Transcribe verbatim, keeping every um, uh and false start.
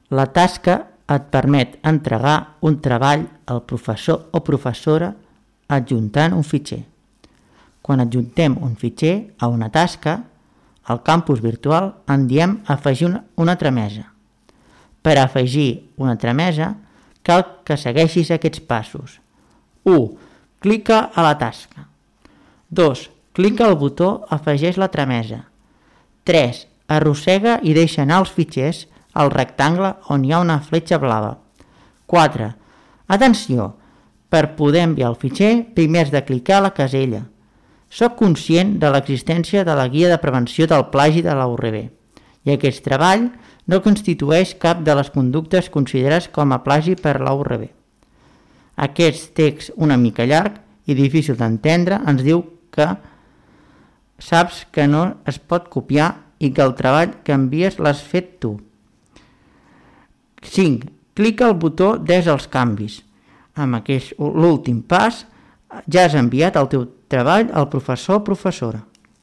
La tasca et permet entregar un treball al professor o professora adjuntant un fitxer. Quan adjuntem un fitxer a una tasca, al campus virtual en diem afegir una, una tramesa. Per afegir una tramesa, cal que segueixis aquests passos. u. Clica a la tasca. dos. Clica al botó Afegeix la tramesa. tres. Arrossega i deixa anar els fitxers al rectangle on hi ha una fletxa blava. quatre. Atenció! Per poder enviar el fitxer, primer has de clicar a la casella. Soc conscient de l'existència de la guia de prevenció del plagi de la U R B i aquest treball no constitueix cap de les conductes considerades com a plagi per la U R B. Aquest text una mica llarg i difícil d'entendre ens diu que saps que no es pot copiar i que el treball que envies l'has fet tu. cinc. Clica al botó Des els canvis. Amb aquest l'últim pas ja has enviat el teu treball al professor o professora.